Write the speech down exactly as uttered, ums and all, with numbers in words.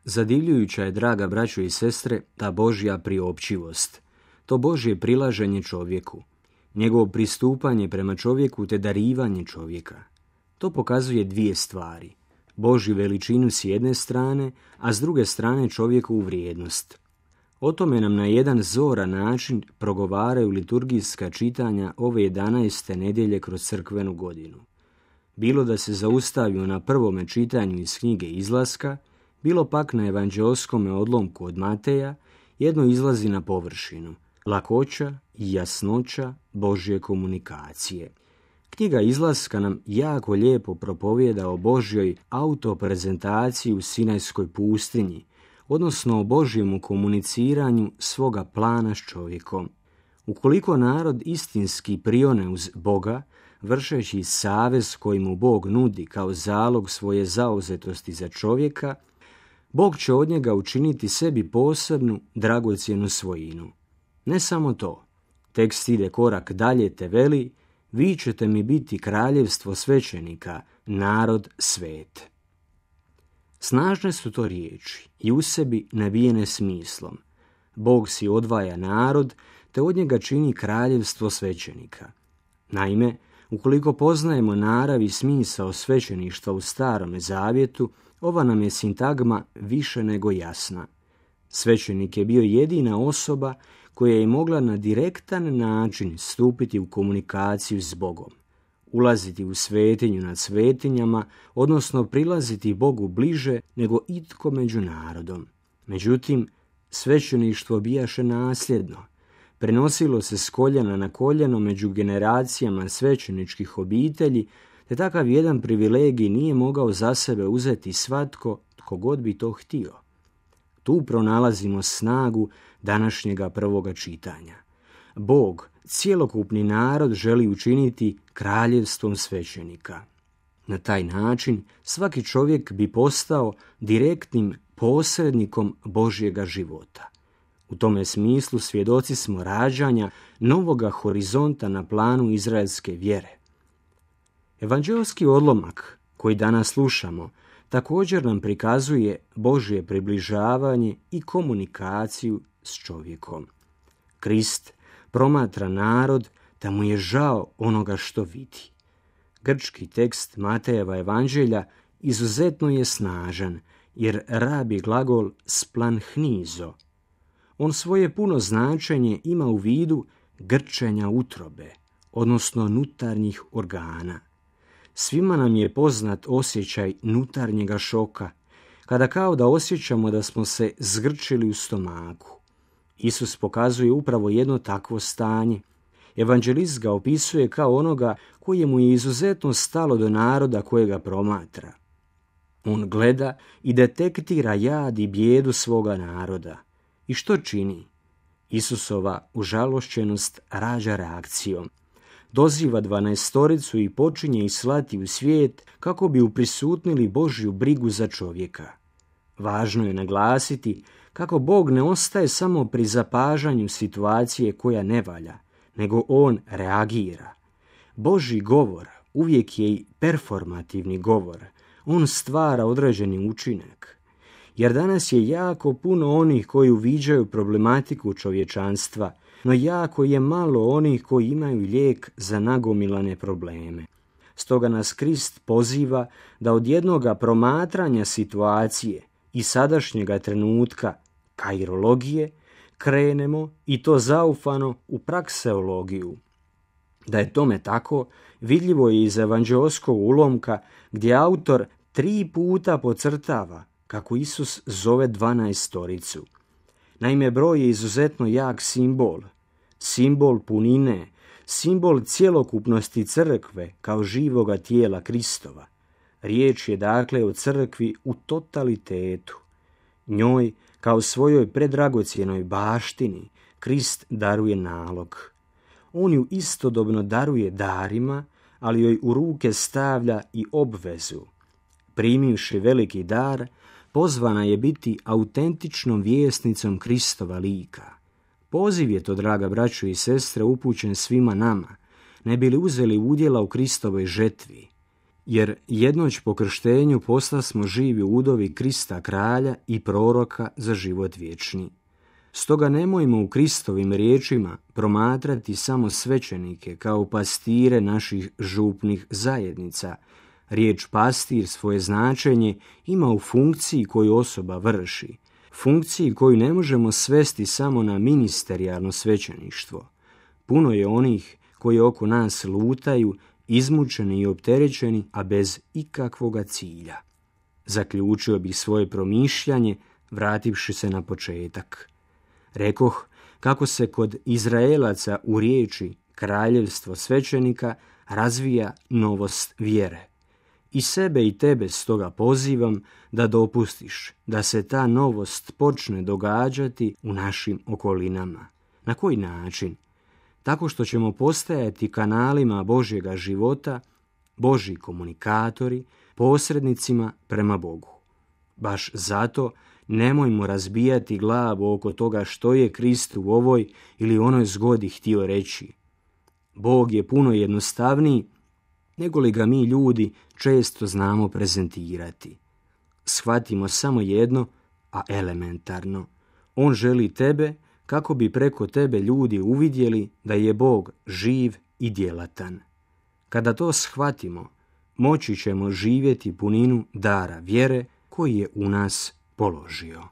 Zadivljujuća je, draga braćo i sestre, ta Božja priopćivost, to Božje prilaženje čovjeku, njegovo pristupanje prema čovjeku te darivanje čovjeka. To pokazuje dvije stvari, Božju veličinu s jedne strane, a s druge strane čovjekovu vrijednost. O tome nam na jedan zoran način progovaraju liturgijska čitanja ove jedanaeste nedjelje kroz crkvenu godinu. Bilo da se zaustavio na prvome čitanju iz knjige Izlaska, bilo pak na evanđeoskome odlomku od Mateja, jedno izlazi na površinu, lakoća i jasnoća Božje komunikacije. Knjiga Izlaska nam jako lijepo propovijeda o Božjoj autoprezentaciji u Sinajskoj pustinji, odnosno o Božjemu komuniciranju svoga plana s čovjekom. Ukoliko narod istinski prione uz Boga, vršeći savez koji mu Bog nudi kao zalog svoje zauzetosti za čovjeka, Bog će od njega učiniti sebi posebnu, dragocjenu svojinu. Ne samo to, tekst ide korak dalje te veli, vi ćete mi biti kraljevstvo svećenika, narod svet. Snažne su to riječi i u sebi nabijene smislom. Bog si odvaja narod, te od njega čini kraljevstvo svećenika. Naime, ukoliko poznajemo narav i smisao svećeništva u Starome zavjetu, ova nam je sintagma više nego jasna. Svećenik je bio jedina osoba koja je mogla na direktan način stupiti u komunikaciju s Bogom, ulaziti u svetinju nad svetinjama, odnosno prilaziti Bogu bliže nego itko među narodom. Međutim, svećeništvo bijaše nasljedno. Prenosilo se s koljena na koljeno među generacijama svećeničkih obitelji, te takav jedan privilegij nije mogao za sebe uzeti svatko tko god bi to htio. Tu pronalazimo snagu današnjega prvoga čitanja. Bog cjelokupni narod želi učiniti kraljevstvom svećenika. Na taj način svaki čovjek bi postao direktnim posrednikom Božjega života. U tome smislu svjedoci smo rađanja novoga horizonta na planu izraelske vjere. Evanđeoski odlomak koji danas slušamo također nam prikazuje Božje približavanje i komunikaciju s čovjekom. Krist promatra narod da mu je žao onoga što vidi. Grčki tekst Matejeva evanđelja izuzetno je snažan, jer rabi glagol splanhnizo. On svoje puno značenje ima u vidu grčenja utrobe, odnosno nutarnjih organa. Svima nam je poznat osjećaj nutarnjega šoka, kada kao da osjećamo da smo se zgrčili u stomaku. Isus pokazuje upravo jedno takvo stanje. Evanđelist ga opisuje kao onoga kojemu je izuzetno stalo do naroda kojega promatra. On gleda i detektira jad i bijedu svoga naroda. I što čini? Isusova užalošćenost rađa reakcijom. Doziva dvanaestoricu i počinje ih slati u svijet kako bi uprisutnili Božju brigu za čovjeka. Važno je naglasiti kako Bog ne ostaje samo pri zapažanju situacije koja ne valja, nego on reagira. Božji govor uvijek je i performativni govor. On stvara određeni učinak. Jer danas je jako puno onih koji uviđaju problematiku čovječanstva, no jako je malo onih koji imaju lijek za nagomilane probleme. Stoga nas Krist poziva da od jednoga promatranja situacije i sadašnjega trenutka, kairologije, krenemo i to zaufano u prakseologiju. Da je tome tako, vidljivo je iz evanđeoskog ulomka gdje autor tri puta podcrtava kako Isus zove dvanaestoricu. Naime, broj je izuzetno jak simbol, simbol punine, simbol cjelokupnosti crkve kao živoga tijela Kristova. Riječ je dakle o crkvi u totalitetu. Njoj, kao svojoj predragocjenoj baštini, Krist daruje nalog. On ju istodobno daruje darima, ali joj u ruke stavlja i obvezu. Primivši veliki dar, pozvana je biti autentičnom vjesnicom Kristova lika. Poziv je to, draga braćo i sestre, upućen svima nama, ne bi li uzeli udjela u Kristovoj žetvi. jer jednoć po krštenju postasmo živi udovi Krista kralja i proroka za život vječni. Stoga nemojmo u Kristovim riječima promatrati samo svećenike kao pastire naših župnih zajednica. Riječ pastir svoje značenje ima u funkciji koju osoba vrši, funkciji koju ne možemo svesti samo na ministerijalno svećeništvo. Puno je onih koji oko nas lutaju, izmučeni i opterećeni, a bez ikakvoga cilja. Zaključio bih svoje promišljanje, vrativši se na početak. Rekoh kako se kod Izraelaca u riječi kraljevstvo svećenika razvija novost vjere. I sebe i tebe stoga pozivam da dopustiš da se ta novost počne događati u našim okolinama. Na koji način? Tako što ćemo postajati kanalima Božjega života, Božji komunikatori, posrednicima prema Bogu. Baš zato nemojmo razbijati glavu oko toga što je Krist u ovoj ili onoj zgodi htio reći. Bog je puno jednostavniji nego li ga mi ljudi često znamo prezentirati. Shvatimo samo jedno, a elementarno. On želi tebe kako bi preko tebe ljudi uvidjeli da je Bog živ i djelatan. Kada to shvatimo, moći ćemo živjeti puninu dara vjere koji je u nas položio.